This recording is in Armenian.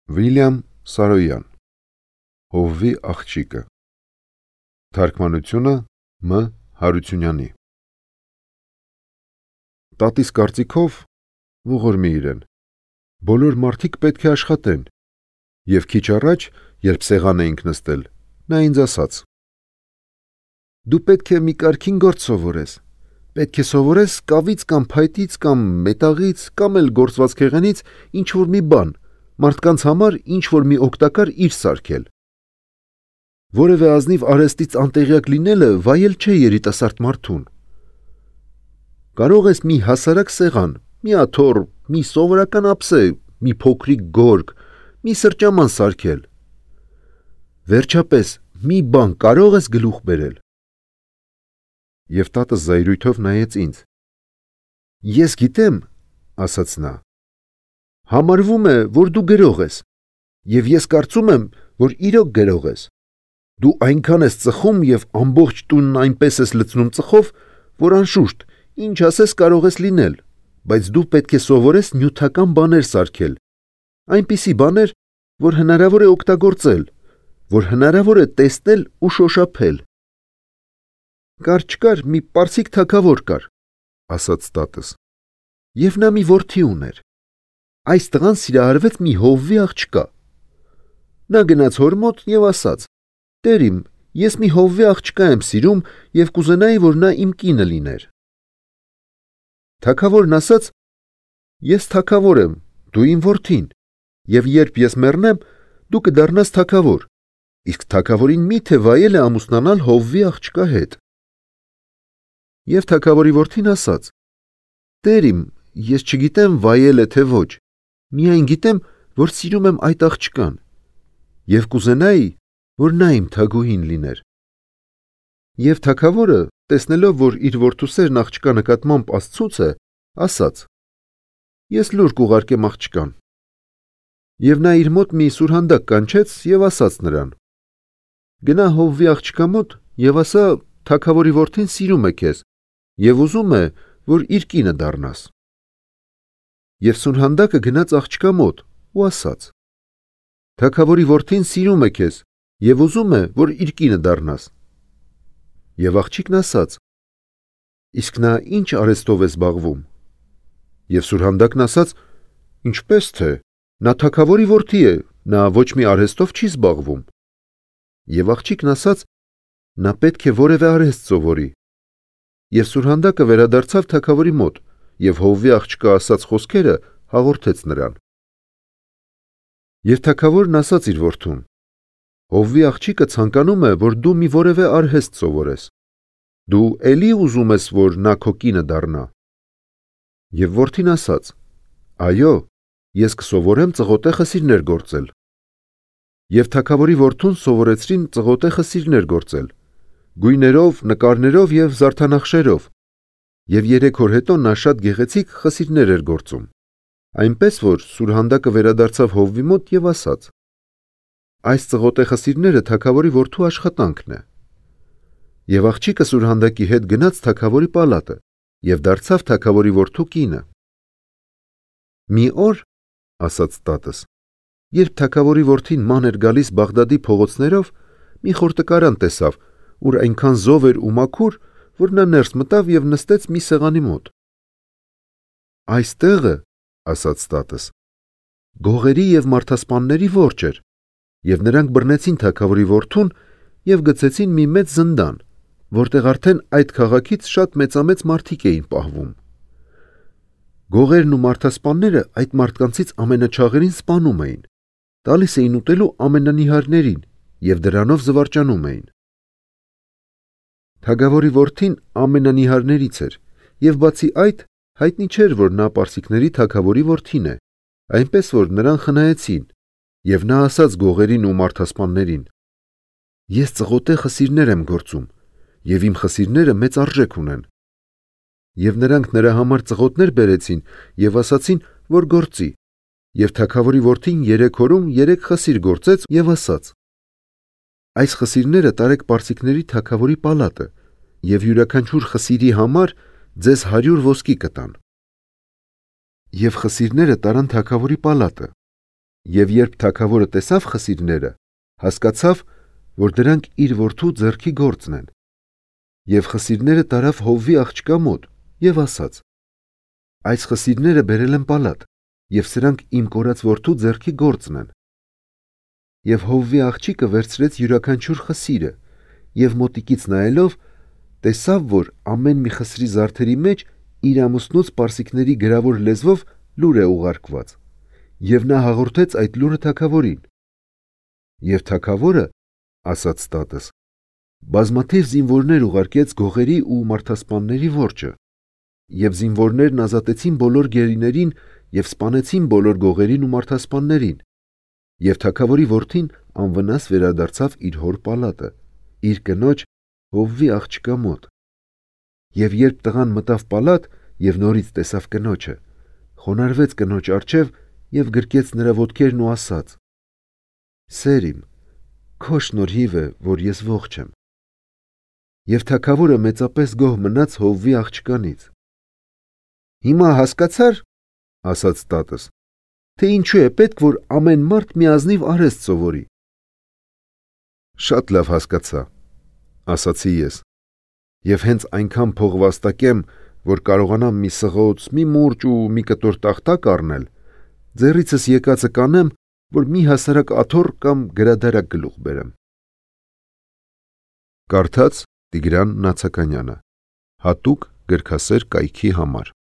Վիլյամ Սարոյան Հովվի աղջիկը Թարգմանությունը Մ. Հարությունյանի Տատիս կարծիքով ողորմի իրեն բոլոր մարդիկ պետք է աշխատեն և քիչ առաջ, երբ սեղան էինք նստել, նա ինձ ասաց. Դու պետք է մի կարգին գործ սովորես, պետք է սովորես կավից կամ փայտից կամ մետաղից կամ էլ գործվածքեղենից ինչ-որ մի բան, մարդկանց համար ինչ-որ մի օգտակար իր սարքել։ Որևէ ազնիվ արհեստից անտեղյակ լինելը վայել չէ երիտասարդ մարդուն։ Կարող ես մի հասարակ սեղան, մի աթոռ, մի սովորական ափսե, մի փոքրիկ գորգ, մի սրճաման սարքել։ Վերջապես, մի բան կարող ես գլուխ բերել։ Եվ տատս զայրույթով նայեց ինձ։ Ես գիտեմ, ասաց նա, համարվում է, որ դու գրող ես, և ես կարծում եմ, որ իրոք գրող ես։ Դու այնքան ես ծխում և ամբողջ տունն այնպես ես լցնում ծխով, որ անշուշտ, ինչ ասես կարող ես լինել, բայց դու պետք է սովորես նյութական բաներ սարքել, այնպիսի բաներ, որ հնարավոր է օգտագործել, որ հնարավոր է տեսնել ու շոշափել։ Կար-չկար մի պարսիկ թագավոր կար, ասաց տատս, և նա մի որդի ուներ։ Այս տղան սիրահարվեց մի հովվի աղջկա։ Նա գնաց հոր մոտ և ասաց. Տեր իմ, ես մի հովվի աղջկա եմ սիրում և կուզենայի, որ նա իմ կինը լիներ։ Թագավորն ասաց. Ես թագավոր եմ, դու իմ որդին, և երբ ես մեռնեմ, դու կդառնաս թագավոր, իսկ թագավորին միթե վայել է ամուսնանալ հովվի աղջկա հետ։ Եվ թագավորի որդին ասաց. Տեր իմ, ես չգիտեմ վայել է թե ոչ, միայն գիտեմ, որ սիրում եմ այդ աղջկան, և կուզենայի, որ նա իմ թագուհին լիներ։ Եվ թագավորը, տեսնելով, որ իր որդու սերն աղջկա նկատմամբ աստծուց է, ասաց. Ես լուր կուղարկեմ աղջկան։ Եվ նա իր մոտ մի սուրհանդակ կանչեց և ասաց նրան. Գնա հովվի աղջկա մոտ և ասա, թագավորի որդին սիրում է քեզ և ուզում է, որ իր կինը դառնաս։ Եվ սուրհանդակը գնաց աղջկա մոտ ու ասաց. Թագավորի որդին սիրում է քեզ և ուզում է, որ իր կինը դառնաս։ Եվ աղջիկն ասաց. Իսկ նա ինչ արհեստով է զբաղվում։ Եվ սուրհանդակն ասաց. Ինչպես թե, նա թագավորի որդի է, նա ոչ մի արհեստով չի զբաղվում։ Եվ աղջիկն ասաց. Նա պետք է որևէ արհեստ սովորի։ Եվ սուրհանդակը վերադարձավ թագավորի մոտ և հովվի աղջկա ասաց խոսքերը հաղորդեց նրան։ Եվ թագավորն ասաց իր որդուն. Հովվի աղջիկը ցանկանում է, որ դու մի որևէ արհեստ սովորես։ Դու էլի ուզում ես, որ նա քո կինը դառնա։ Եվ որդին ասաց. Այո, ես կսովորեմ ծղոտե խսիրներ գործել։ Եվ թագավորի որդուն սովորեցրին ծղոտե խսիրներ գործել, գույներով, նկարներով և զարդանախշերով, և 3 օր հետո նա շատ գեղեցիկ խսիրներ էր գործում, այնպես որ սուրհանդակը վերադարձավ հովվի մոտ և ասաց. Այս ծղոտե խսիրները թագավորի որդու աշխատանքն է։ Եվ աղջիկը սուրհանդակի հետ գնաց թագավորի պալատը և դարձավ թագավորի որդու կինը։ Մի օր, ասաց տատս, երբ թագավորի որդին ման էր գալիս Բաղդադի փողոցներով, մի խորտկարան տեսավ, ուր այնքան զով էր ու մաքուր, որ նա ներս մտավ և նստեց մի սեղանի մոտ։ Այս տեղը, ասաց տատս, գողերի և մարդասպանների որջը էր, և նրանք բռնեցին թագավորի որդուն և գցեցին մի մեծ զնդան, որտեղ արդեն այդ քաղաքից շատ մեծամեծ մարդիկ էին պահվում։ Գողերն ու մարդասպանները այդ մարդկանցից ամենաչաղերին սպանում էին, տալիս էին ուտելու ամենանիհարներին և դրանով զվարճանում էին։ Թագավորի որդին ամենանիհարներից էր, և բացի այդ, հայտնի չէր, որ նա պարսիկների թագավորի որդին է, այնպես որ նրան խնայեցին, և նա ասաց գողերին ու մարդասպաններին. Ես ծղոտե խսիրներ եմ գործում, և իմ խսիրները մեծ արժեք ունեն։ Եվ նրանք նրա համար ծղոտներ բերեցին և ասացին, որ գործի, և թագավորի որդին 3 օրում 3 խսիր գործեց և ասաց. Այս խսիրները տարեք պարսիկների թագավորի պալատը, և յուրաքանչյուր խսիրի համար ձեզ 100 ոսկի կտան։ Եվ խսիրները տարան թագավորի պալատը, Եվ երբ թագավորը տեսավ խսիրները, հասկացավ, որ դրանք իր որդու ձեռքի գործն են։ Եվ խսիրները տարավ Հովվի աղջկա մոտ եւ ասաց. այս խսիրները բերել են պալատ, եւ սրանք իմ կորած որդու ձեռքի գործն են։ Եվ Հովվի աղջիկը վերցրեց յուրաքանչյուր խսիրը եւ մոտիկից նայելով տեսավ, որ ամեն մի խսրի զարդերի մեջ իր ամուսնուց պարսիկների գրավոր լեզվով լուր է ուղարկված, եւ նա հաղորդեց այդ լուրը թագավորին։ Եվ թագավորը, ասաց տատս, բազմաթիվ զինվորներ ուղարկեց գողերի ու մարդասպանների որջը, եւ զինվորներն ազատեցին բոլոր գերիներին եւ սպանեցին բոլոր գողերին ու մարդասպաններին, եւ թագավորի որդին անվնաս վերադարձավ իր հոր պալատը, իր կնոջ Հովվի աղջկա մոտ։ Եվ երբ տղան մտավ պալատ եւ նորից տեսավ կնոջը, խոնարհվեց կնոջ առջև եւ գրկեց նրա ոտքերն ու ասաց. «Սեր իմ, քո շնորհիվ է, որ ես ողջ եմ»։ Եվ թագավորը մեծապես գոհ մնաց Հովվի աղջկանից։ «Հիմա հասկացա՞ր, ասաց տատս, թե ինչու է պետք, որ ամեն մարդ մի ազնիվ արհեստ սովորի»։ «Շատ լավ հասկացա», ասացի ես, «եւ հենց այնքան փող վաստակեմ, որ կարողանամ մի սղոց, մի մուրճ ու մի կտոր տախտակ առնել, ձեռիցս եկածը կանեմ, որ մի հասարակ աթոռ կամ գրադարակ գլուխ բերեմ»։ Կարդաց Տիգրան Նացականյանը, հատուկ գրքասեր կայքի համար։